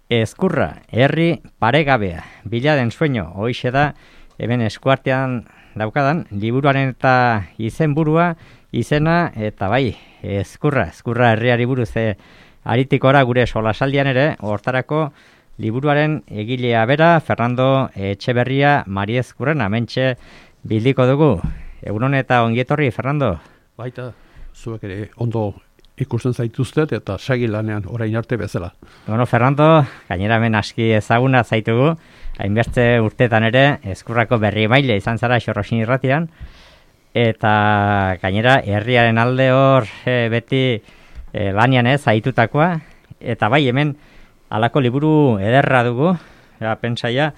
Ezkurra, herri paregabea, bila den sueño, hoixe da, hemen eskuartean daukadan, liburuaren eta izenburua, izena, eta bai, ezkurra herriari buruz aritikora gure solasaldian ere, hortarako liburuaren egilea bera, Fernando Etxeberria Mariezkurren, amentxe bildiko dugu. Egunon eta ongietorri, Fernando? Baita, zuek ere ondo ikusten zaituztet eta segi lanean orain arte bezala. Bueno, Fernando, gainera hemen aski ezaguna zaitugu, hainbeste urtetan ere, ezkurrako berri maile izan zara Xorrosin irratian, eta gainera herriaren alde hor beti lanian zaitutakoa, eta bai hemen halako liburu ederra dugu, pentsaia,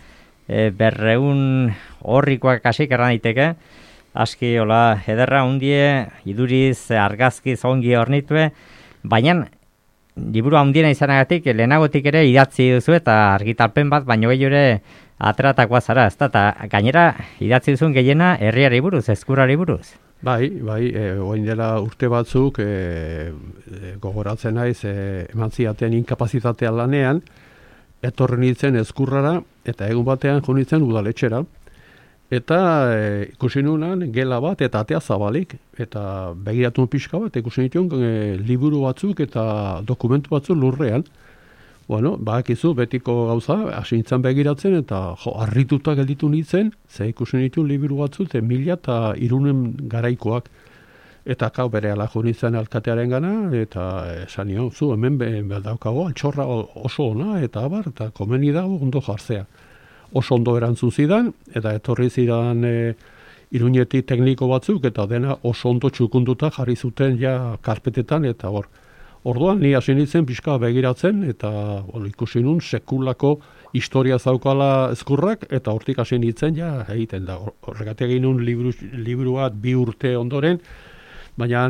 200 horrikoak hasik erran daiteke, aski hola ederra hundie, iduriz, argazkiz ongi hornitue, baina liburu handiena izanagatik, lehenagotik ere idatzi duzu eta argitalpen bat, baino gehiago ere ateratakoa zara, ezta? Eta gainera idatzi duzun gehiena herriari buruz, ezkurrari buruz. Bai, orain dela urte batzuk gogoratzen naiz eman ziaten inkapazitatea lanean, etorri nintzen ezkurrara eta egun batean jo nintzen udaletxera. Eta ikusi nunan gela bat eta atea zabalik, eta begiratu pixka bat, ikusi nituen liburu batzuk eta dokumentu batzuk lurrean. Bueno, bakizu betiko gauza, hasi nintzen begiratzen, eta harrituta gelditu nintzen, ze ikusi nituen liburu batzuk, 1300 garaikoak. Eta bere ala jo nintzen alkatearen gana, eta esan nion, zu hemen daukago, altxorra oso ona, eta abar, eta komeni dago ondo jartzea. Oso ondo erantzun zidan, eta etorri zidan Iruñetik tekniko batzuk, eta dena oso ondo txukunduta jarri zuten ja karpetetan, eta hor. Orduan, ni hasi nintzen pixka begiratzen, eta ikusi nun sekulako historia zaukala ezkurrak, eta hortik hasi nintzen ja egiten da. Horregatik egin nun liburu bat 2 urte ondoren, baina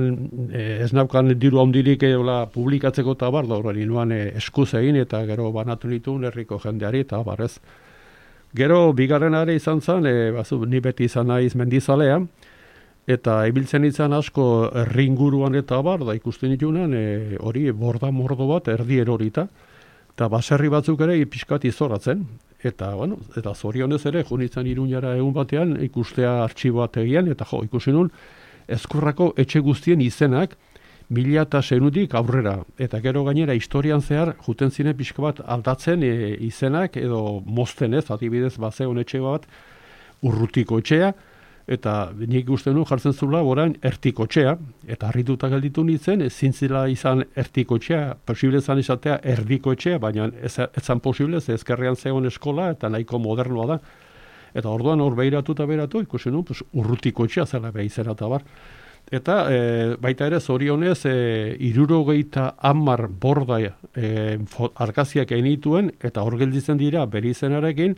ez naukan diru handirik publikatzeko eta bar, da horren inuan eskuz egin, eta gero banatu nituen herriko jendeari, eta barrez. Gero, bigarren ere izan zen, ni beti izan naiz mendizalea, eta ibiltzen izan asko herri inguruan eta bar, da ikusten ditunan, hori borda mordo bat erdi erorita, eta baserri batzuk ere pixkat izoratzen. Eta, eta zorionez ere, jo nintzen Iruñara egun batean, ikustea artxiboat egian, eta ikusi nun, ezkurrako etxe guztien izenak, 1600 aurrera, eta gero gainera historian zehar juten ziren pixka bat aldatzen izenak edo mozten ez, adibidez bazeon etxe bat Urrutiko etxea, eta nik uste nu jartzen zula orain Ertiko etxea, eta harrituta gelditu nintzen, ezin zela izan Ertiko etxea, posible zan izatea Erdiko etxea, baina ez zan posible, ze ezkerrean zegoen eskola eta nahiko modernoa da. Eta orduan hor behiratu eta behiratu, ikusi nu, Urrutiko etxea zela behizena eta bar. Eta baita ere zorionez 70 borda argazkiak egin dituen, eta hor gelditzen dira bere izenarekin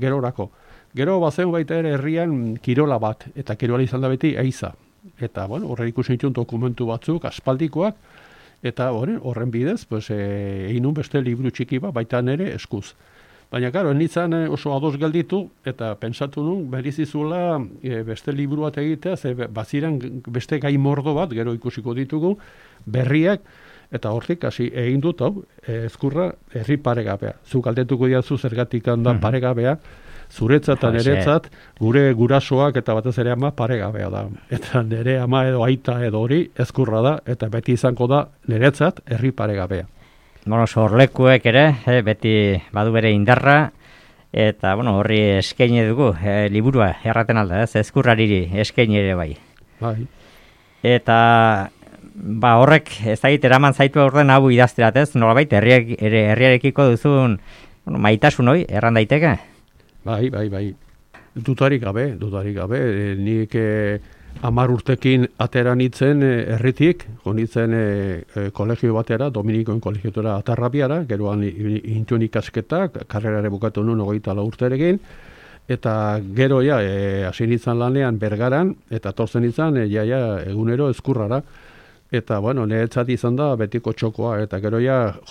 gerorako. Gero bazen baita ere herrian kirola bat, eta kirola izan da beti eiza. Eta horre ikusi dituen dokumentu batzuk, aspaldikoak, eta horren bidez egin nun beste liburu txiki bat, baita nere eskuz. Baina, karo, nintzen oso ados gelditu, eta pentsatu nun, berizizula beste liburu bat egitea, ze baziren beste gai mordo bat, gero ikusiko ditugu, berriak, eta hortik hasi egin dut, ezkurra herri paregabea. Zuk galdetuko diazu zergatik handan paregabea, zuretzat eta niretzat, gure gurasoak eta batez ere ama paregabea da. Eta nire ama edo aita edo hori ezkurra da, eta beti izango da niretzat herri paregabea. Sorlekuek ere, beti badu bere indarra, eta horri eskaini dugu, liburua erraten alda, ezkurrariri eskaini ere bai. Bai. Eta horrek ez dakit eraman zaitu aurten hau idazterat, nolabait herriarekiko duzun maitasun hoi, erran daiteke? Bai. Dutarik gabe, nik 10 urtekin atera nitzen herritik, jonitzen kolegio batera, Dominikoen kolegiotora Atarrabiara, geroan intuen ikasketak, karrerare bukatu nun 24 urterekin, eta gero hasi nintzen lanean Bergaran, eta torzen nintzen egunero ezkurrara, eta niretzat izan da betiko txokoa, eta gero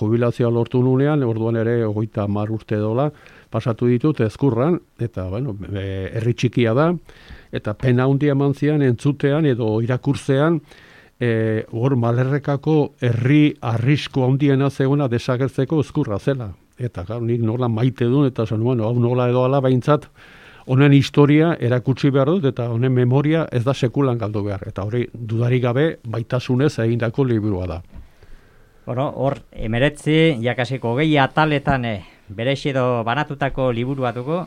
jubilazioa lortu nunean, orduan ere 30 urte dola, pasatu ditut ezkurran, eta herri txikia da, eta pena handia eman zian entzutean edo irakurtzean, hor Malerrekako herri arrisko handiena zegoena desagertzeko ezkurra zela. eta nik nola maite duen, eta zen, bueno, hau nola edo ala behintzat, honen historia erakutsi behar dut, eta honen memoria ez da sekulan galdu behar. Eta hori dudarik gabe baitasunez egindako liburua da. Bueno, hor, 19, jakasiko 20 ataletan berexi edo banatutako liburua dugu,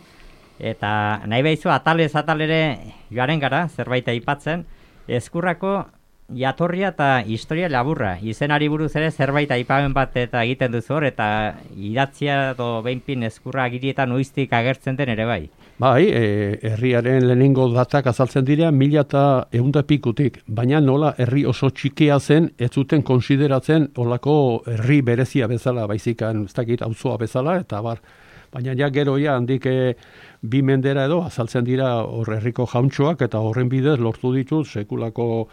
eta nahi behizu atalez atalere joaren gara, zerbait aipatzen, Ezkurrako jatorria eta historia laburra. Izenari buruz ere zerbait aipamen bat eta egiten duzu hor, eta idatzia edo behinpin Ezkurra agirietan noiztik agertzen den ere bai. Bai, herriaren lehenengo datak azaltzen dira 1100 pikutik, baina nola herri oso txikia zen, ez zuten konsideratzen olako herri berezia bezala, baizikan ez dakit auzoa bezala, eta bar. Baina ja gero handik 2 mendera edo azaltzen dira hor herriko jauntxoak, eta horren bidez lortu ditut sekulako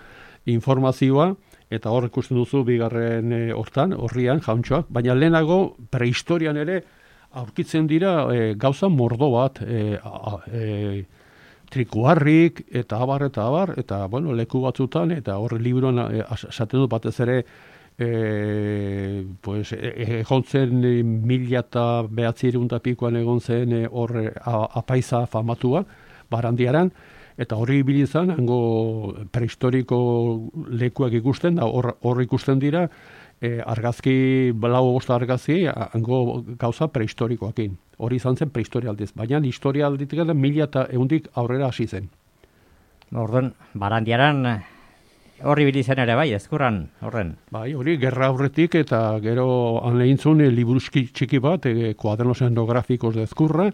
informazioa, eta hor ikusten duzu bigarren horrian jauntxoak, baina lehenago prehistorian ere aurkitzen dira gauza mordo bat, trikuarrik, eta abar, eta bueno, leku batzutan, eta horre liburuan esaten dut batez ere, egon zen 1900 pikoan egon zen horre apaiza famatua, Barandiaran, eta horri bilizan, hango prehistoriko lekuak ikusten, da hor ikusten dira, argazki, lau bosta argazki, hango gauza prehistorikoakin. Hori izan zen prehistorialdiz, baina historialditik 1100 aurrera hasi zen. Orduan, Barandiaran horri bilizen ere bai, Ezkurran horren. Bai, hori gerra aurretik eta gero han lehintzun liburuski txiki bat, kuadernos etnográficos de Ezkurra,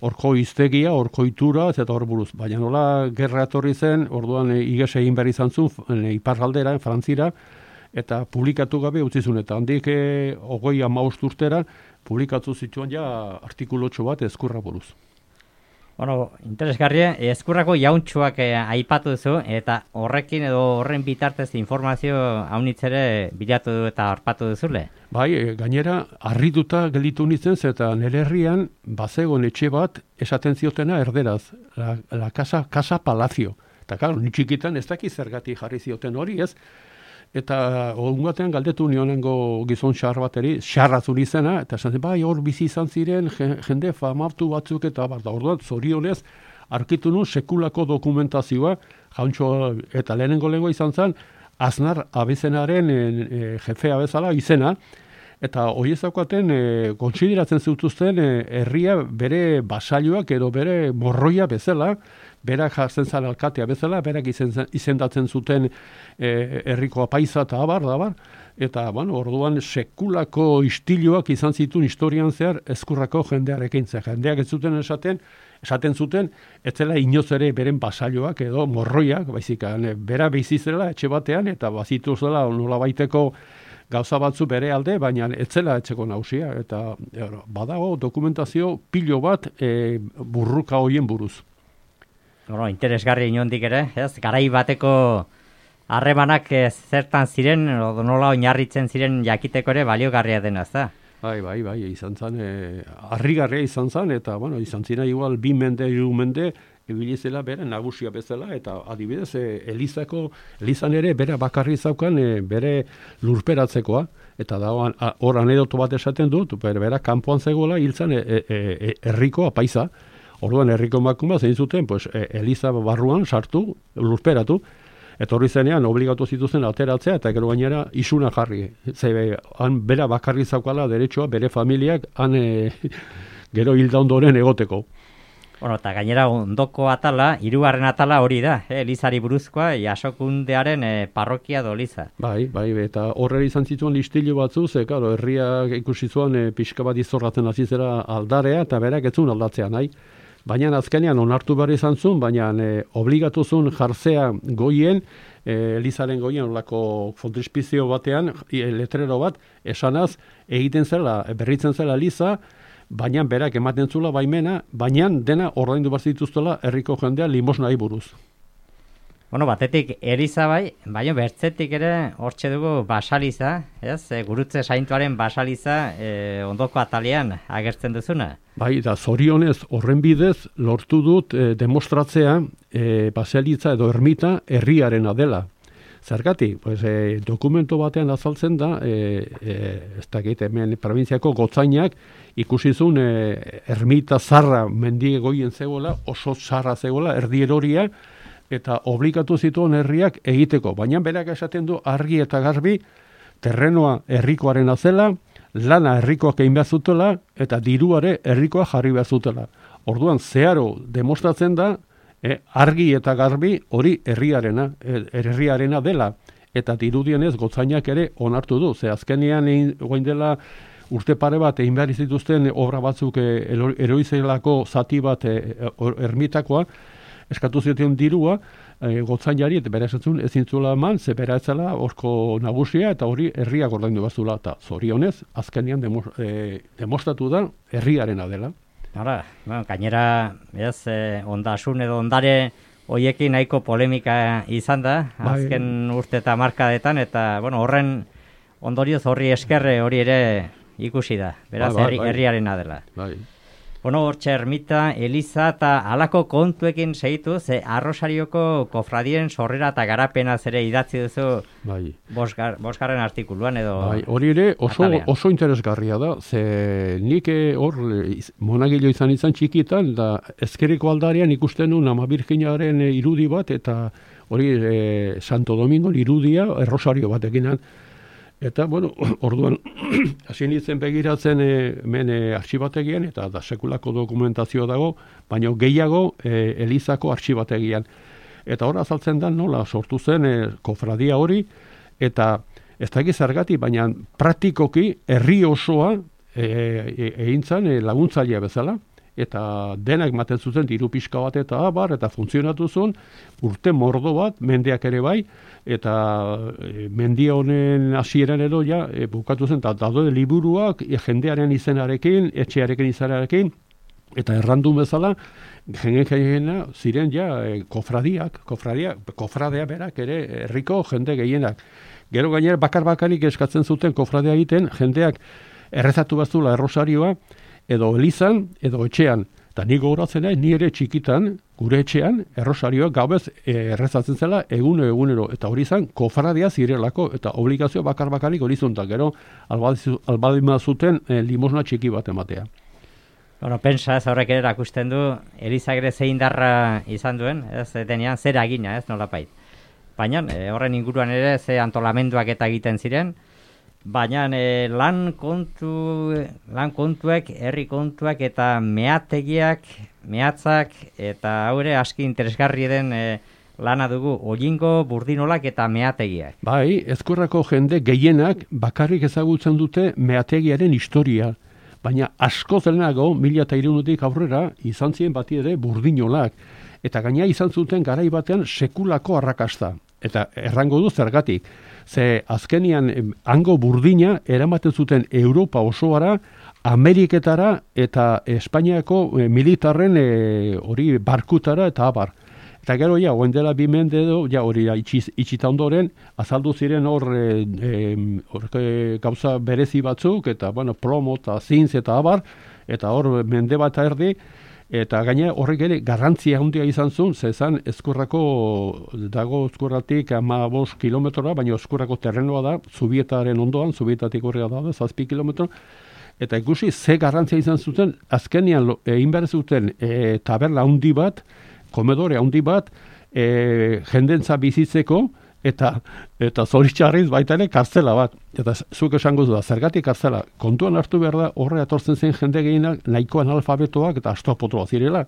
horko hiztegia, horko itura, eta hor buruz. Baina nola gerra etorri zen, orduan iges egin behar izan zuen, iparraldera, Frantzira, eta publikatu gabe utzizun, eta handik 30 urtera publikatu zituen ja artikulotxo bat Ezkurra buruz. Bueno, interesgarria, Ezkurrako jauntxoak aipatu duzu, eta horrekin edo horren bitartez informazio haunitzere bilatu eta harpatu duzule. Bai, gainera, harrituta gelditu nintzen, eta nire herrian bazegon etxe bat esaten ziotena erderaz, la casa palacio. Eta claro, ni txikitan ez daki zergatik jarri zioten hori, ez? Eta egun batean galdetu nionengo gizon xar bateri, xarrazun izena, eta esan bai, hor bizi izan ziren jende famatu batzuk, eta orduan zorionez, arkitu nun sekulako dokumentazioa, jauntxo eta lehenengo lengua izan zen, Aznar abezenaren jefea bezala izena, eta hori ezaukaten kontsideratzen zutuzten herria bere basailuak edo bere morroia bezala, berak jartzen zara alkatea bezala, berak izendatzen zuten herriko apaiza eta abar, eta bueno, orduan sekulako istiluak izan zituen historian zehar Ezkurrako jendearekin. Jendeak ez zuten esaten zuten, ez zela inoz ere beren basailuak edo morroiak, baizik, bera bizizela etxe batean, eta bazitu zela nola baiteko gauza batzu bere alde, baina ez zela etxeko nausia, eta badago dokumentazio pilo bat burruka hoien buruz. Bueno, interesgarri inondik ere, ez? Garai bateko harremanak zertan ziren, nola oinarritzen ziren jakiteko ere baliogarria dena, ez da? Bai, izan zen, harrigarria izan zen, eta bueno, izan zina igual 2 mende, 3 mende, ebilizela bere nagusia bezala, eta adibidez, Elizan ere bere bakarri zaukan bere lurperatzekoa, eta da hor anedoto bat esaten dut, bera kanpoan zegoela hiltzen herriko apaiza. Orduan herriko emakume zein zuten, Eliza barruan sartu, lurperatu, eta horri zenean obligatu zituzen ateratzea, eta gero gainera isuna jarri. Han bera bakarri zaukala derechoa, bere familiak, han gero hilda ondoren egoteko. Bueno, eta gainera ondoko atala, 3. atala hori da, Elizari buruzkoa, Jasokundearen parrokia do Eliza. Bai, eta horre izan zituen listilu batzu, claro, herriak ikusi zuen pixka bat izorratzen hasi zera aldarea, eta berak ez zuen aldatzea nahi. Baina azkenean onartu behar izan zuen, baina obligatu zuen jartzea goien, Elizaren goien olako frontispizio batean, letrero bat, esanaz, egiten zela, berritzen zela Eliza, baina berak ematen zula baimena, baina dena ordaindu behar zituztela herriko jendea limosnai buruz. Bueno, batetik Eliza bai, baina bertzetik ere hortxe dugu basaliza, ez? Gurutze saintuaren basaliza ondoko atalean agertzen duzuna. Bai, da zorionez horren bidez lortu dut demostratzea basalitza edo ermita herriarena dela. Zergatik, pues, dokumento batean azaltzen da, ez dakit hemen probintziako gotzainak ikusizun ermita zarra mendi egoien zegoela, oso zarra zegoela, erdi eroria, eta obligatu zituen herriak egiteko. Baina berak esaten du argi eta garbi, terrenoa herrikoaren azela, lana herrikoak egin behar zutela, eta diruare herrikoa jarri behar zutela. Orduan, zeharo demostratzen da, argi eta garbi hori herriarena dela. Eta dirudienez gotzainak ere onartu du. Ze azkenean goin dela urte pare bat egin behar zituzten obra batzuk eroizelako zati bat ermitakoa, eskatu zuten dirua, gotzainari, eta bera esatzen ezin zuela eman, ze bera etzela horko nagusia, eta hori herriak ordaindu bazula, eta zorionez, azkenean demostratu da herriarena dela. Hala, gainera, ondasun edo ondare hoiekin nahiko polemika izan da, azken urte eta markadetan, eta horren ondorioz horri eskerre hori ere ikusi da, beraz herriarena dela. Hortxe ermita, Eliza eta halako kontuekin segitu, ze Arrosarioko kofradien sorrera eta garapena zere idatzi duzu bosgarren artikuluan edo... Hori ere oso interesgarria da, ze nik hor monagilo izan txikitan, da ezkerreko aldarian ikusten nuen Ama Birjinaren irudi bat, eta hori Santo Domingo irudia Errosario batekinan. Eta, orduan, hasi nintzen begiratzen artxibategian, eta da sekulako dokumentazio dago, baina gehiago Elizako artxibategian. Eta hor azaltzen da nola sortu zen kofradia hori, eta ez da zergatik, baina praktikoki herri osoa egin zen laguntzailea bezala, eta denak ematen zuten diru pixka bat eta abar, eta funtzionatu zuen, urte mordo bat, mendeak ere bai, eta mendia honen hasieran edo bukatu zen, eta daude liburuak jendearen izenarekin, etxearekin izenarekin, eta errandun bezala, jena ziren kofradea berak ere herriko jende gehienak. Gero gainera bakar-bakarik eskatzen zuten kofradea egiten, jendeak errezatu bazula Errosarioa, edo Elizan, edo etxean. Eta nik gogoratzen ni ere txikitan, gure etxean, Errosarioa gaubez errezatzen zela egunero. Eta hori izan, kofradia zirelako, eta obligazio bakar-bakarik hori zuntan. Gero, albadima zuten limosna txiki bat ematea. Pentsa, ez horrek ere erakusten du, Elizak ere zein darra izan duen, ez denean zer agina, ez nolapait. Baina, horren inguruan ere ze antolamenduak eta egiten ziren, baina lan kontuek, herri kontuak eta mehatzak eta haure aski interesgarri den lana dugu, Olingo, Burdinolak eta meategiak. Bai, Ezkurrako jende gehienak bakarrik ezagutzen dute meategiaren historia, baina asko zenago 1300tik aurrera izan ziren bati ere Burdinolak, eta gaina izan zuten garai batean sekulako arrakasta, eta errango du zergatik. Ze azkenian hango burdina eramaten zuten Europa osoara, Ameriketara eta Espainiako militarren hori barkutara eta abar. Eta gero oen dela 2 mende edo, hori itxita ondoren, azaldu ziren hor gauza berezi batzuk, eta plomo eta zintz eta abar, eta hor mende bat erdi, eta gaina horrek ere garrantzia handia izan zuen, zezan Ezkurrako dago Ezkurratik 15 kilometrora, baina Ezkurrako terrenoa da, Zubietaren ondoan, Zubietatik horrega da, 7 kilometro, eta ikusi ze garrantzia izan zuten, azkenean egin behar zuten taberna handi bat, komedore handi bat, jendentza bizitzeko, eta zoritxarriz baita ere kartzela bat. Eta zuk esango du da, zergatik kartzela. Kontuan hartu behar da, horre atortzen zen jende gehienak nahikoan alfabetoak eta astopotoa zirela.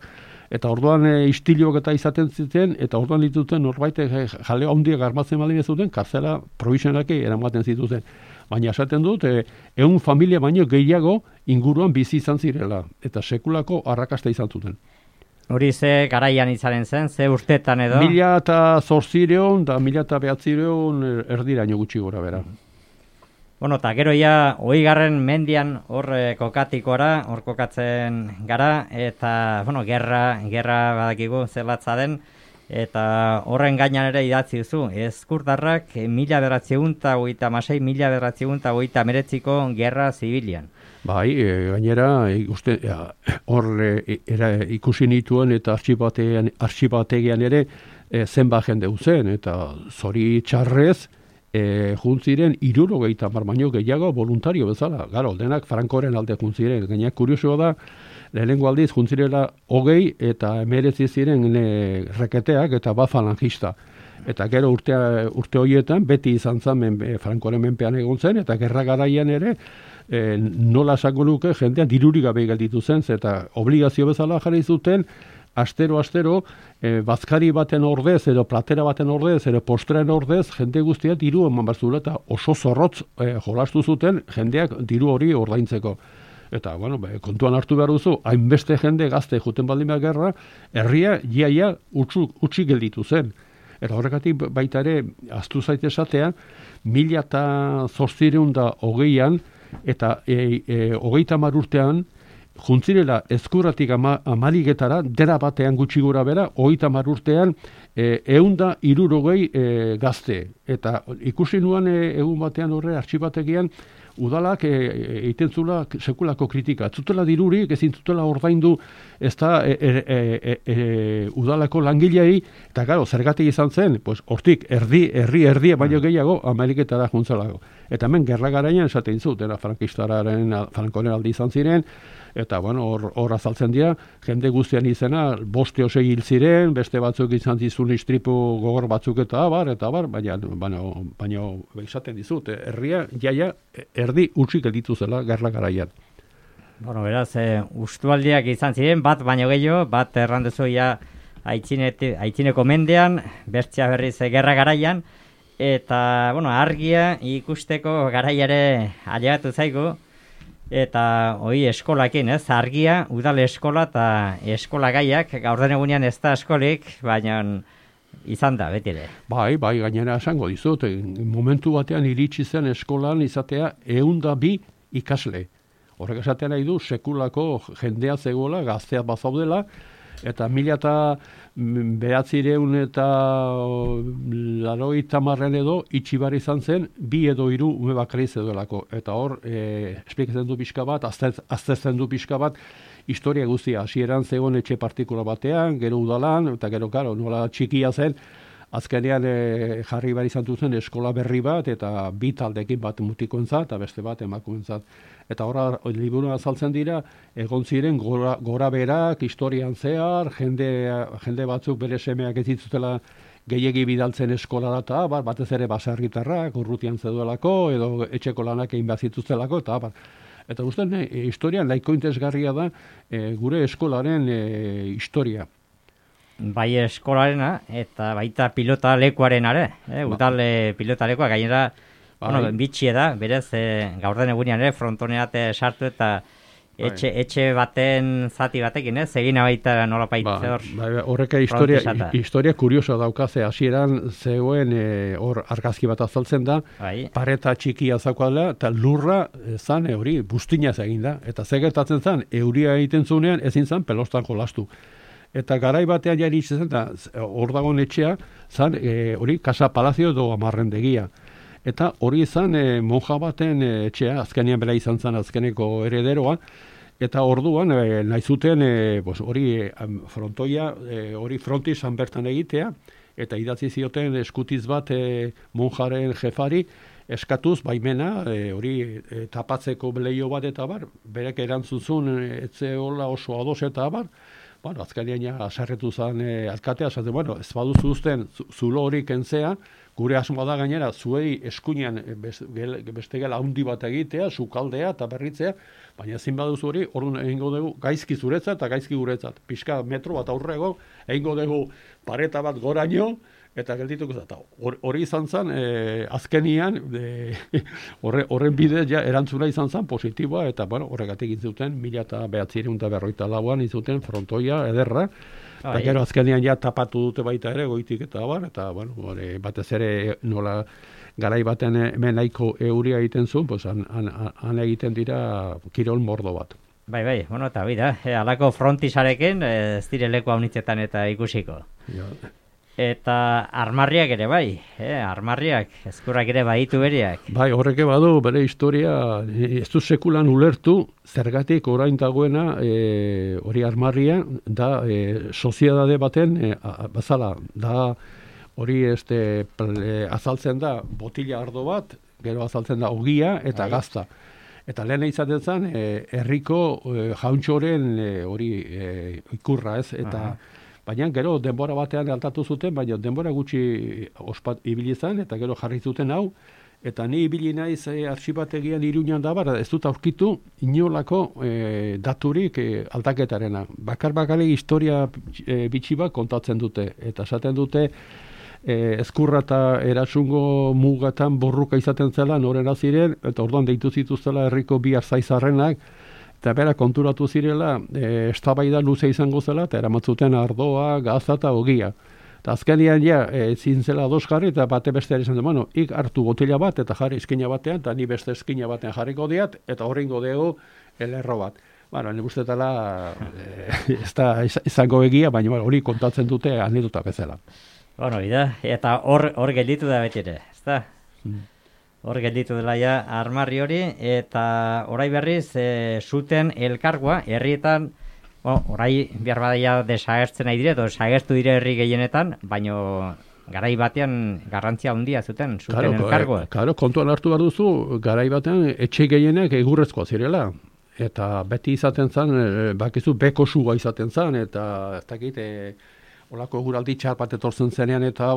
Eta orduan istiloak eta izaten ziten, eta orduan dituten norbait jaleo handiak armatzen baldin ez zuten, kartzela provisionalki eramaten zituzten. Baina esaten dut, 100 familia baino gehiago inguruan bizi izan zirela, eta sekulako arrakasta izan zuten. Hori ze garaian izaren zen, ze urtetan edo? 1800 da 1900 erdiraino gutxi gora bera. Eta gero ja, 20. mendian hor kokatikora, hor kokatzen gara, eta, gerra badakigu zelatza den, eta horren gainan ere idatzi duzu, Ezkurdarrak 1936-1939ko gerra zibilian. Bai, gainera, hor ikusi nituen eta arxibategian ere zenba jende uzen, eta zori txarrez, juntziren 70 baino gehiago voluntario bezala. Garo, denak Frankoren alde juntziren. Gainak kuriosoa da, lehenengo aldiz juntzirela 20 eta 19 ziren reketeak eta falangista. Eta gero urte horietan beti izan zen Frankoren menpean egon zen, eta gerra garaian ere nola esango nuke jendea dirurik gabe gelditu zen, eta obligazio bezala jarri zuten astero bazkari baten ordez, edo platera baten ordez, edo postrean ordez, jende guztia diru eman barzula, eta oso zorrotz jolastu zuten jendeak diru hori ordaintzeko. Eta, bueno, kontuan hartu behar duzu, hainbeste jende gazte juten baldin behar gerra, herria iaia utzi gelditu zen. Eta horrekatik baita ere, aztu zaite esatea, 1820an eta 30 urtean, juntzirela ezkurratik amaligetara, dera batean gutxi gora bera, 30 urtean 160 gazte. Eta ikusi nuan egun batean horre artxibategian, udalak egiten zula sekulako kritika. Zutela dirurik, ezin zutela ordaindu ez da udalako langilei, eta gero, zergatik izan zen, pues, hortik herri baino gehiago Ameriketara juntzelago. Eta hemen gerra garaian esaten zut, Frankoren aldi izan ziren, eta bueno, hor azaltzen dira, jende guztian izena, 5 o 6 hil ziren, beste batzuk izan zizun istripu gogor batzuk eta baina esaten dizut, herria jaia erdi utzik gelditu zela gerra garaian. Bueno, beraz, ustualdiak izan ziren, bat baino gehiago, bat errandezu ja aitzineko mendean, bertzea berriz gerra garaian, eta, bueno, argia ikusteko garaiare ailegatu zaigu, eta hoi eskolakin, ez? Argia, udal eskola eta eskola gaiak, gaur den egunean ez da eskolik, baina izan da, beti ere. Bai, gainera esango dizut, momentu batean iritsi zen eskolan izatea 102 ikasle. Horrek esatea nahi du, sekulako jendea zegoela, gazteak bazaudela, eta 1900 eta 80 edo itxibar izan zen 2 edo 3 ume bakarri zegoelako. Eta hor, esplikatzen du pixka bat, aztertzen du pixka bat, historia guztia. Hasieran zegoen etxe partikula batean, gero udalan, eta gero, karo, nola txikia zen, azkenean jarri behar izan duzen eskola berri bat, eta 2 taldekin bat mutikoentzat, eta beste bat emakumeentzat. Eta horra, liburua azaltzen dira, egon ziren gora berak, historian zehar, jende batzuk bere semeak ez dituztela gehiegi bidaltzen eskolara eta batez ere baserritarrak, urrutian zeduelako, edo etxeko lanak egin behar zituztelako, eta Eta uste, historian nahiko interesgarria da gure eskolaren historia. Bai eskolarena, eta baita pilota lekuaren are, udal pilota lekua, gainera, bueno, bitxie da, berez, gaur den egunean frontoneat sartu eta etxe baten zati batekin, egin baita nola paitze horrek historia kuriosa daukaze, hasieran zegoen hor argazki bat azaltzen da, pareta txikia zaukala, eta lurra zan hori bustinaz egin da, eta zegertatzen zan, euria egiten zunean ezin zan pelostan jolastu. Eta garai batean jari itzen da, hor dagoen etxea, zan hori Casa Palazio edo Amarrendegia. Eta hori izan monja baten etxea, azkenean bera izan zen azkeneko herederoa, eta orduan nahi zuten hori frontoia, hori frontisan bertan egitea, eta idatzi zioten eskutiz bat monjaren jefari, eskatuz baimena, hori tapatzeko leio bat eta berek erantzuzun etzeola oso ados eta azkenean asarretu zen alkatea, ez baduzu uzten zulo hori kentzea, gure asmoa da gainera, zuei eskuinean beste gela handi bat egitea, sukaldea eta berritzea, baina ezin baduzu hori, orduan egingo dugu gaizki zuretzat eta gaizki guretzat. Pixka metro bat aurrego, egingo dugu pareta bat goraino, eta geldituko zata. Hori izan zen, azkenian, horren bidez erantzuna izan zen positiboa, eta horregatik izuten, 1954an izuten frontoia ederra, eta gero azkenian tapatu dute baita ere, goitik eta batez ere nola garai baten hemen nahiko euria egiten zuen, han egiten dira kirol mordo bat. Bai, eta bida, alako frontisarekin ez dire leku haunitzetan eta ikusiko. Eta armarriak ere bai, armarriak, eskurrak ere baditu beriak. Bai, horreke badu bere historia, ez du sekulan ulertu, zergatik orain dagoena hori armarria, da soziedade baten bazala, da hori azaltzen da botila ardo bat, gero azaltzen da ogia eta gazta. Eta lehen izaten zen, herriko jauntxoren hori ikurra ez, eta baina gero denbora batean altatu zuten, baina denbora gutxi ospat ibili zen, eta gero jarri zuten hau, eta ni ibili naiz artxibategian Iruñan da, ez dut aurkitu inolako daturik aldaketarena. Bakar-bakari historia bitxi bat kontatzen dute, eta esaten dute ezkurra eta erasungo mugatan borruka izaten zela, norena ziren, eta orduan deitu zituztela herriko bi arzaizarrenak, eta bera konturatu zirela, eztabaida luze izango zela, eta eramatzuten ardoa, gaza eta ogia. Eta azkenean ezin zela ados jarri, eta bate beste izan bueno, ik hartu botila bat, eta jarri eskina batean, eta ni beste eskina batean jarriko diat, eta horrengo dugu elerro bat. Bueno, nik ustetala ez da izango egia, baina hori kontatzen dute anedota bezala. Bueno, eta hor gelditu da beti ere, ez da? Hor gelditu dela ja armarri hori, eta orai berriz zuten elkargoa, herrietan, orai behar badaia desagertzen nahi dire, edo desagertu dire herri gehienetan, baino garai batean garrantzia handia zuten elkargoa. Claro, kontuan hartu behar duzu, garai batean etxe gehienek egurrezkoa zirela. Eta beti izaten zen, bakizu beko sua izaten zen, eta ez dakit, olako eguraldi txar bat etortzen zenean eta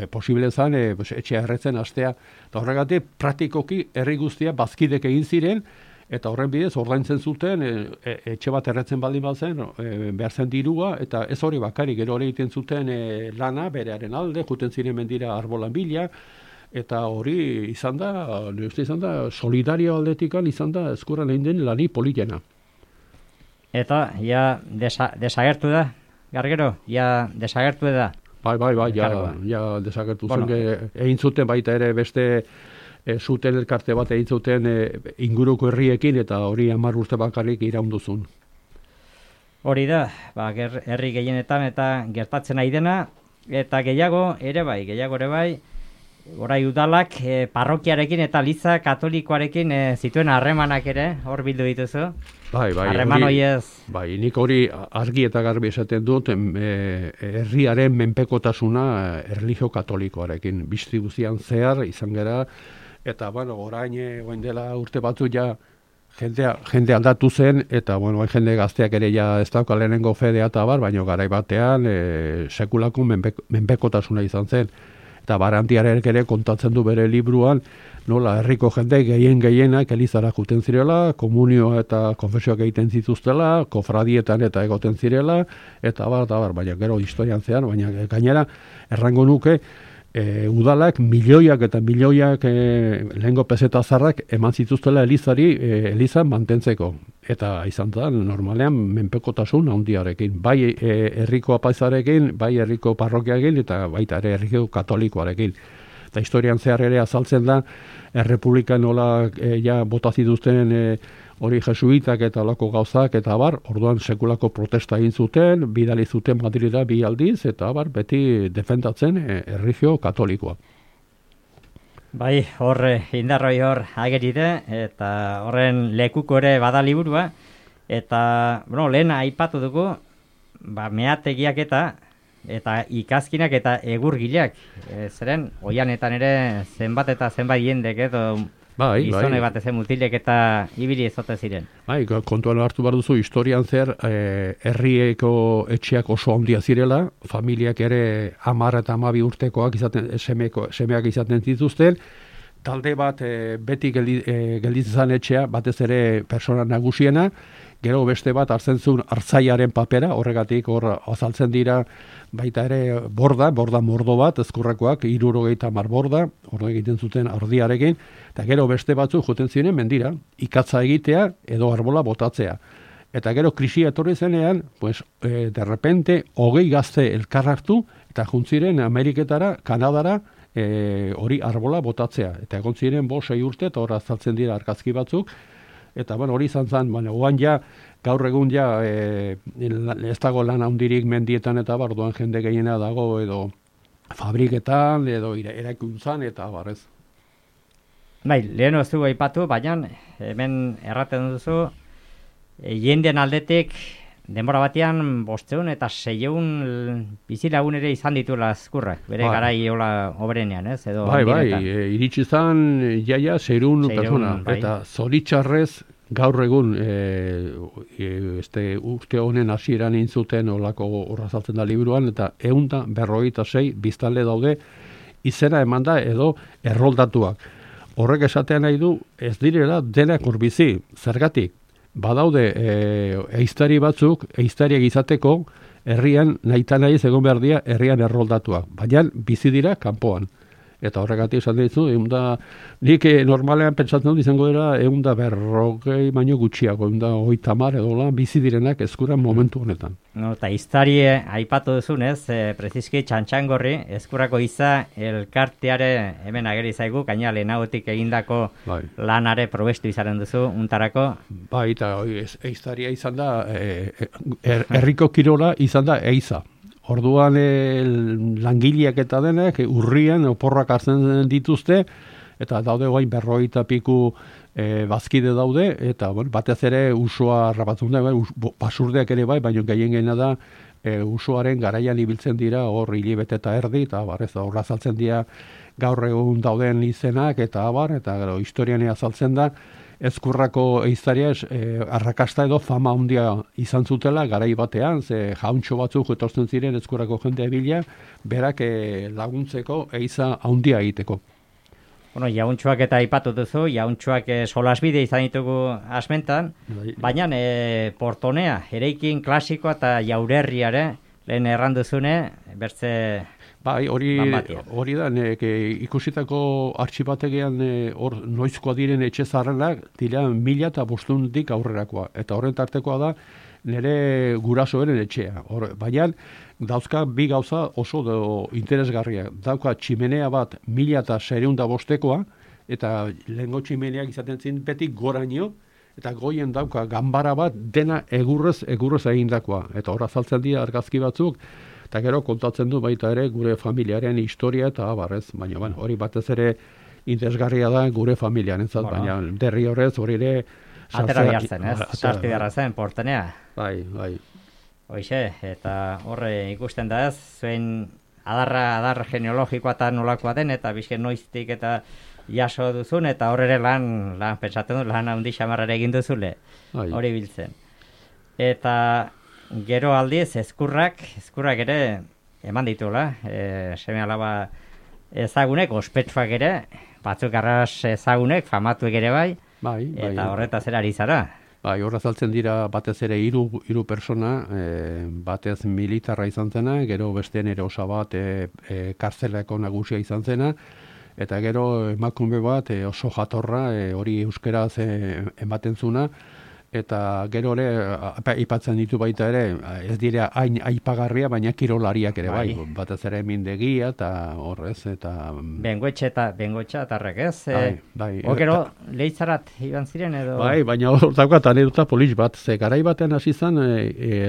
posible zen, etxea erretzen astea. Eta horregatik, praktikoki herri guztia bazkidek egin ziren, eta horren bidez ordaintzen zuten, etxe bat erretzen baldin bazen, behar zen dirua, eta ez hori bakari, gero hori egiten zuten lana, berearen alde, juten ziren mendira arbolan bila, eta hori izan da, solidario aldetikan izan da eskurran egin den lani politena. Eta, desagertu da? Gargero, desagertu da? Bai, desagertu zen, egin zuten baita ere beste zuten elkarte bat egin zuten inguruko herriekin, eta hori 10 urte bakarrik iraunduzun. Hori da, herri gehienetan eta gertatzen nahi dena, eta gehiago ere bai, orai udalak parrokiarekin eta liza katolikoarekin zituen harremanak ere, hor bildu dituzu. Bai, harreman horiez. Bai, nik hori argi eta garbi esaten dut, herriaren menpekotasuna erlijio katolikoarekin, distribuzian zehar izan gera, eta orain dela urte batzu jende aldatu zen, eta jende gazteak ere ez dauka lehenengo fedea eta baina garai batean sekulako menpekotasuna izan zen. Eta Barandiarek ere kontatzen du bere libruan, nola herriko jende gehienak elizara juten zirela, komunioa eta konfesioak egiten zituztela, kofradietan eta egoten zirela, eta baina gero historian zean, baina gainera errango nuke, udalak milioiak eta milioiak lehengo peseta zarrak eman zituztela elizan mantentzeko. Eta izan da, normalean menpekotasun handiarekin, bai herriko apaizarekin, bai herriko parrokiarekin, eta baita ere herriko katolikoarekin. Eta historian zehar ere azaltzen da, errepublikan nola bota zituzten hori jesuitak eta olako gauzak, eta orduan sekulako protesta egin zuten, bidali zuten Madrida 2 aldiz, eta beti defendatzen erlijio katolikoa. Bai, indarroi hor ageride, eta horren lekuko ere bada liburua, eta, lehen aipatu dugu, meategiak eta ikazkinak eta egurgileak, zeren, oianetan ere zenbat eta zenbat jendek edo gizone bat ezen mutilek eta ibili ezote ziren. Bai, kontuan hartu behar duzu, historian zer, herrieko etxeak oso handia zirela, familiak ere 10 eta 12 urtekoak semeak izaten zituzten, talde bat beti gelditzen zen etxea, batez ere persona nagusiena, gero beste bat hartzen zuen hartzaiaren papera, horregatik hor azaltzen dira baita ere borda mordo bat, ezkurrakoak, 70 borda, hor egiten zuten ardiarekin, eta gero beste batzuk joten ziren mendira, ikatza egitea edo arbola botatzea. Eta gero krisia etorri zenean, de repente, 20 gazte elkar hartu, eta juntziren Ameriketara, Kanadara, hori arbola botatzea. Eta egon ziren 5-6 urte, eta hor azaltzen dira argazki batzuk, eta bueno, hori izan zen, bueno, oan ja, gaur egun ja, ez dago lan handirik mendietan eta barduan jende gehiena dago edo fabriketan edo eraikuntzan eta barrez. Bai, lehen ozu aipatu, baina hemen erraten duzu, jenden aldetik denbora batean 500 eta 600 bizilagun ere izan dituela Ezkurrak, bere garai hola obrenean, ez? Edo bai, iritsi zan jaia 600 persona, bai. Eta zoritxarrez gaur egun urte honen hasieran intzuten olako horra saltzen da liburuan, eta 156 biztanle daude izena eman da edo erroldatuak. Horrek esatean nahi du, ez direla denak urbizi, zergatik. Badaude ehiztari batzuk, ehiztariak izateko, herrian nahiz egon behar dira herrian erroldatuak. Baina bizi dira kanpoan. Eta horregatik esan dizu, nik normalean pentsatzen dut izango dira 140 baino gutxiago, 130 edo lan bizi direnak Ezkurran momentu honetan. No, eta iztari aipatu duzunez, preziski Txantxangorri, Ezkurrako iza elkarteare hemen ageri zaigu, gaina lehenagotik egindako lanare probestu izaren duzu, untarako. Bai, eta eiztaria izan da, herriko kirola izan da eiza. Orduan langileak eta denek urrian oporrak hartzen dituzte, eta daude guain 50 piku bazkide daude, eta batez ere usua rabatzen da, basurdeak ere bai, baina gehien da usuaren garaian ibiltzen dira hor hilibete eta erdi, eta horra azaltzen dira gaur egun dauden izenak, eta gero historian azaltzen da, Ezkurrako ehiztaria arrakasta edo fama handia izan zutela garai batean, ze jauntxo batzuk etortzen ziren Ezkurrako jendea bila, berak laguntzeko ehiza handia egiteko. Bueno, jauntxoak eta aipatu duzu, jauntxoak solasbide izan ditugu asmentan, baina portonea, eraikin klasikoa eta jaurerriare, lehen erranduzune, bertze... Bai, hori da, ikusitako artxibategian hor noizkoa diren etxe zaharrenak dira 1500 aurrerakoa. Eta horren tartekoa da nire gurasoen etxea. Baina dauzka bi gauza oso interesgarria. Dauka tximenea bat 1605koa, eta lehengo tximeneak izaten zin beti goraino, eta goien dauka ganbara bat dena egurrez egindakoa. Eta horra zaltzen dira argazki batzuk, eta gero kontatzen du baita ere gure familiaren historia eta abarrez, baina hori batez ere interesgarria da gure familiaren zat, baina derri horrez hori ere... Atera bihartzen, ez? Sarti beharra zen, portenea. Bai. Hoixe, eta horre ikusten da ez, zuen adar genealogikoa eta nolakoa den, eta bizken noiztik eta jaso duzun, eta horre ere lan pentsatzen du, lan handi xamarrare egin duzule, hori biltzen. Eta... Gero aldiz, ezkurrak ere eman dituela, seme alaba ezagunek, ospetsuak ere, batzuk arras ezagunek, famatuek ere bai, eta horretaz erari zara. Bai, horra zaltzen dira batez ere hiru persona, batez militarra izan zena, gero bestean ere osabat kartzelako nagusia izan zena, eta gero emakume bat oso jatorra, hori euskeraz ematen zuna, eta gero ere aipatzen ditu baita ere, ez dira hain aipagarria, baina kirolariak ere bai, batez ere mindegia eta horrez, eta... Bengoetxe atarrek, ez? Bai. Gero leitzarat iban ziren edo... Bai, baina hor daukat anedota polis bat, ze garai batean hasi zen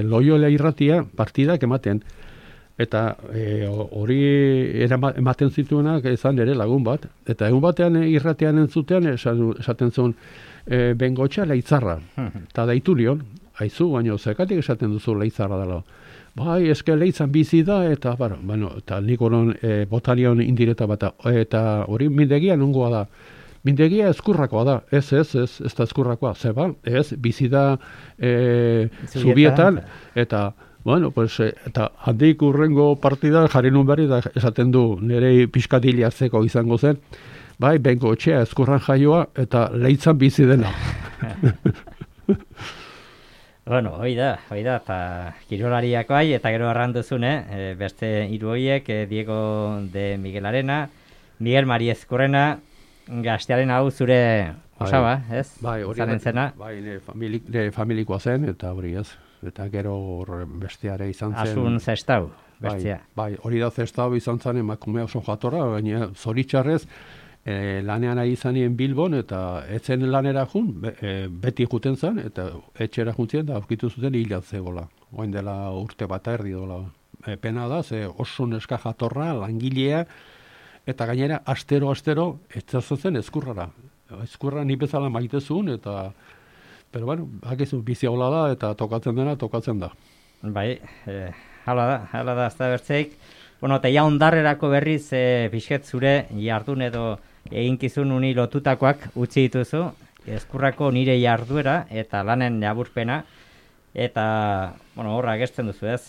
Loiola irratia partidak ematen, eta hori ematen zituenak izan ere lagun bat, eta egun batean irratian entzutean esaten zuen, Bengoetxea leitzarra, eta daitu nion, haizu, baina zekatik esaten duzu leitzarra dela. Bai, eske leitzan bizi da, eta eta nik horon botalion indireta bat, eta hori mindegia nungoa da. Mindegia Ezkurrakoa da, ez da Ezkurrakoa, zeba, ez, bizi da Zubietan, eta... eta handik urrengo partida jarri nun berri da esaten du nire pixkatiliatzeko izango zen, bai, Bengoetxea Ezkurran jaioa eta leitzan bizi dena. Hoi da, eta kirolariak bai, eta gero arranduzune, beste hiru horiek, Diego de Miguel Arena, Miguel Mari Ezkurrena, gaztearen hau zure osaba, ez? Bai, hori nire familikoa zen, eta hori ez. Eta gero besteare izan zen... Asun zestau, bestia. Bai, hori da zestau izan zen emakume oso jatorra, baina zoritxarrez lanean ari zanien Bilbon, eta etzen lanera jun, beti juten zen, eta etxera juntzien, da aurkitu zuten hilat zegoela. Oain dela urte bat erdi dola. Pena da, ze oso neska jatorra, langilea, eta gainera, astero, etzazen ezkurrara. Ezkurra ni bezala maitezun, eta, pero bueno, hakizu, bizi hola da, eta tokatzen dena, tokatzen da. Bai, hala da, ez da bertzeik. Bueno, eta ja ondarrerako berriz, pixket zure jardun edo eginkizun uni lotutakoak utzi dituzu, ezkurrako nire jarduera eta lanen laburpena, eta, bueno, horra agertzen duzu ez,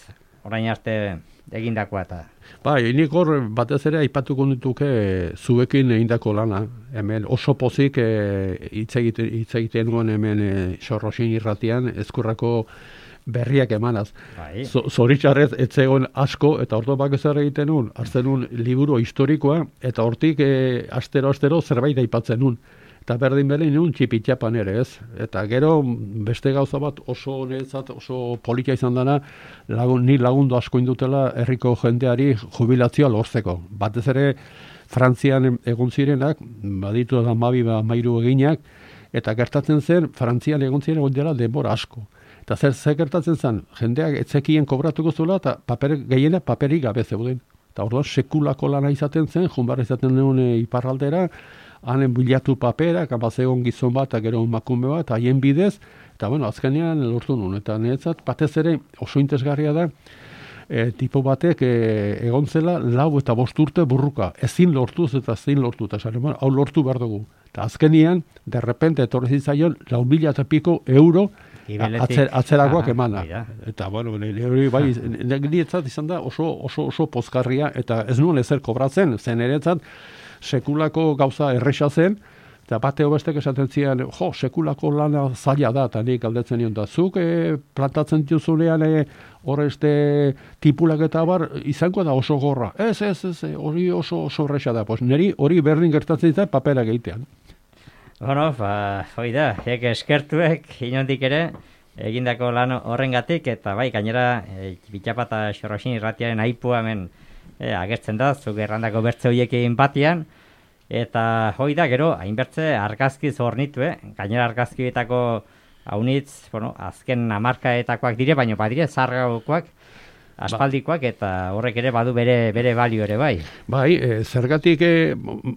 orain arte egindakoa eta. Bai, nik hor batez ere aipatuko dituke zuekin egindako lana. Hemen oso pozik hitz egiten nuen hemen Sorrosin irratian ezkurrako berriak emanaz. Bai. Zoritxarrez etzegon asko, eta ordo bak ezer egiten nun, hartzen nun liburu historikoa, eta hortik astero zerbait aipatzen nun. Eta berdin nun txipitxapan ere, ez? Eta gero beste gauza bat oso niretzat oso politia izan dana, ni lagundu asko indutela herriko jendeari jubilazioa lortzeko. Batez ere Frantzian egon zirenak, baditu da 12 eginak, eta gertatzen zen Frantzian egon ziren egon dela denbora asko. Eta zer gertatzen zen, jendeak etzekien kobratuko zuela, eta gehiena paperik gabe zeuden. Eta orduan sekulako lana izaten zen, junbarra izaten duen iparraldera, hanen bilatu paperak, abazegon gizon bat, gero emakume bat, haien bidez, eta bueno, azkenean lortu nuen. Eta niretzat, batez ere oso interesgarria da, tipo batek egon zela 4 eta 5 urte burruka, ezin lortuz eta eta hau lortu behar dugu. Eta azkenean, derrepente etorri zitzaion 4.000 eta piko euro atzerakoak emana. Eta bueno, niretzat izan da oso pozgarria, eta ez nuen ezer kobratzen, zen niretzat sekulako gauza erresa zen, eta bateo bestek esaten zian, sekulako lana zaila da, eta nik galdetzen nion da, zuk plantatzen duzunean horrezte tipulak eta bar, izango da oso gorra. Ez, hori oso erresa da, niri hori berdin gertatzen zait paperak egitean. Bueno, hoi da, eskertuek inondik ere, egindako lan horrengatik, eta bai, gainera, Bitxapa eta Sorrosin irratiaren aipua hemen agertzen da, zuk errandako bertze horiek egin batian, eta hoi da, gero, hainbertze argazkiz hornitu, gainera argazkietako haunitz, bueno, azken hamarkaetakoak dire, baina badire zargagokoak, aspaldikoak, eta horrek ere badu bere balio ere bai. Bai, zergatik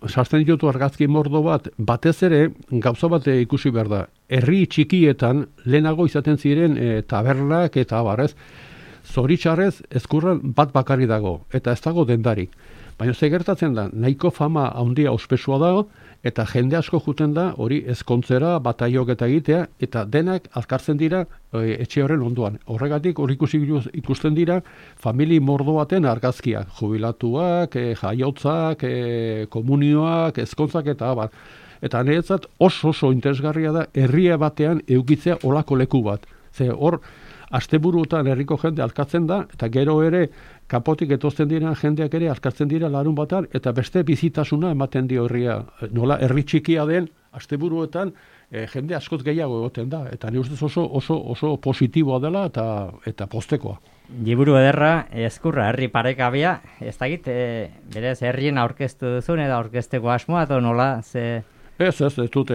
sartzen ditutu argazki mordo bat, batez ere gauza bat ikusi behar da. Herri txikietan lehenago izaten ziren tabernak eta abarrez, zoritxarrez ezkurran bat bakarri dago, eta ez dago dendarik. Baina ze gertatzen da, nahiko fama handia ospesua dago, eta jende asko juten da hori ezkontzera, bataiok eta egitea, eta denak azkartzen dira etxe horren ondoan. Horregatik hori ikusten dira famili mordo baten argazkiak, jubilatuak, jaiotzak, komunioak, ezkontzak eta abar. Eta niretzat oso interesgarria da herria batean eukitzea olako leku bat. Ze hor, asteburuetan herriko jende alkatzen da, eta gero ere kanpotik etozten dira jendeak ere alkatzen dira larun batan, eta beste bizitasuna ematen dio herria. Nola herri txikia den, asteburuetan jende askoz gehiago egoten da, eta ni ustez oso positiboa dela eta postekoa. Liburu ederra, ezkurra, herri parekabea, ez dakit, berez herrien aurkeztu duzun, edo aurkezteko asmoa, edo nola, ze... Ez dut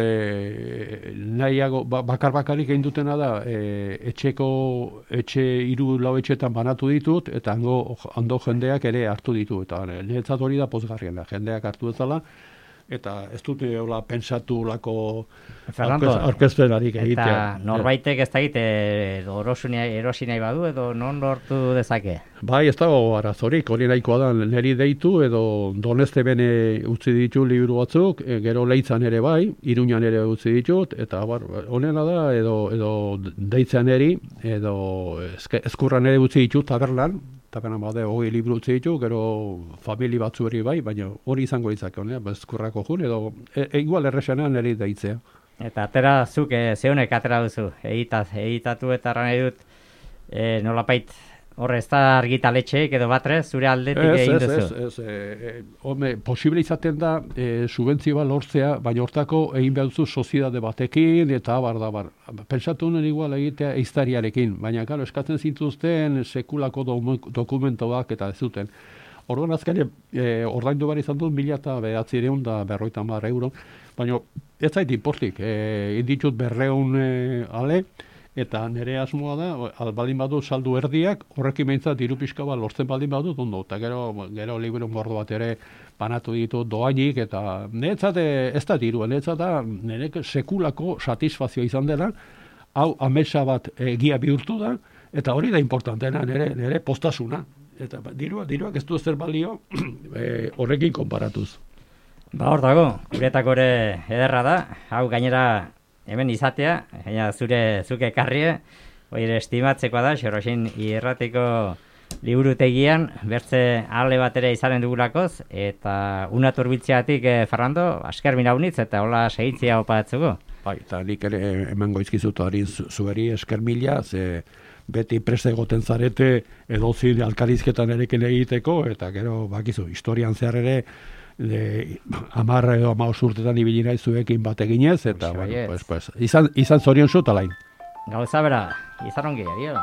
nahiago, bakarik egin dutena da, etxe 3-4 etxetan banatu ditut, eta hando jendeak ere hartu ditu, eta niretzat hori da pozgarriena, jendeak hartu dezala, eta ez dute pensatu lako aurkezpenarik egitea. Eta norbaitek ez da egite erosi nahi badu, edo non lortu dezake? Bai, ez dago arazorik, hori nahikoa da, niri deitu, edo Donezte bene utzi ditu liburu batzuk, gero Leitzan ere bai, Iruñan ere utzi ditut, eta honena da, edo deitzen eri, edo ezkurran ere utzi ditut tabernan, tabernan bade 20 liburu utzi ditu, gero famili batzu eri bai, baina hori izango ditzake, ezkurrako jun, edo igual erresanean eri deitzea. Eta atera zuk, zeunek atera duzu, editatu eta arran edut, nolapait, horre ez da argitaletxeek edo batre, zure aldetik egin duzu? Ez, posible izaten da subentzioa lortzea, baina hortako egin behar duzu soziedade batekin, eta abar. Pentsatu nuen igual egitea eiztariarekin, baina eskatzen zintuzten sekulako dokumentoak eta ez zuten. Orduan azkenean ordaindu behar izan dut 1.950 euro, baina ez zait inportik, inditut 200 ale, eta nire asmoa da, baldin badu saldu erdiak, horrekin behintzat diru pixka bat lortzen baldin badu, ondo, eta gero liburu gordo bat ere banatu ditu doainik, eta niretzat ez da dirua, niretzat da nire sekulako satisfazioa izan dela, hau amesa bat egia bihurtu da, eta hori da importanteena, nire postasuna. Eta diruak ez du zer balio horrekin konparatuz. Ba hor dago, guretako ere ederra da, hau gainera hemen izatea, gainera zuke ekarrie, hori ere estimatzekoa da, Xoroxin irratiko liburutegian, bertze ale bat ere izanen dugulakoz, eta una turbiltzeatik, Fernando, asker minaunitz, eta hola segitzia opatzuko. Bai, eta nik ere emango izkizutu harin zueri esker mila, ze beti preste egoten zarete edozin alkarizketan erekin egiteko, eta gero bakizu, historian zehar ere 10 edo 15 urtetan ibili naiz zuekin bat eginez, eta bueno, izan zorion zut alain. Gauza bera, izan ongi, adio.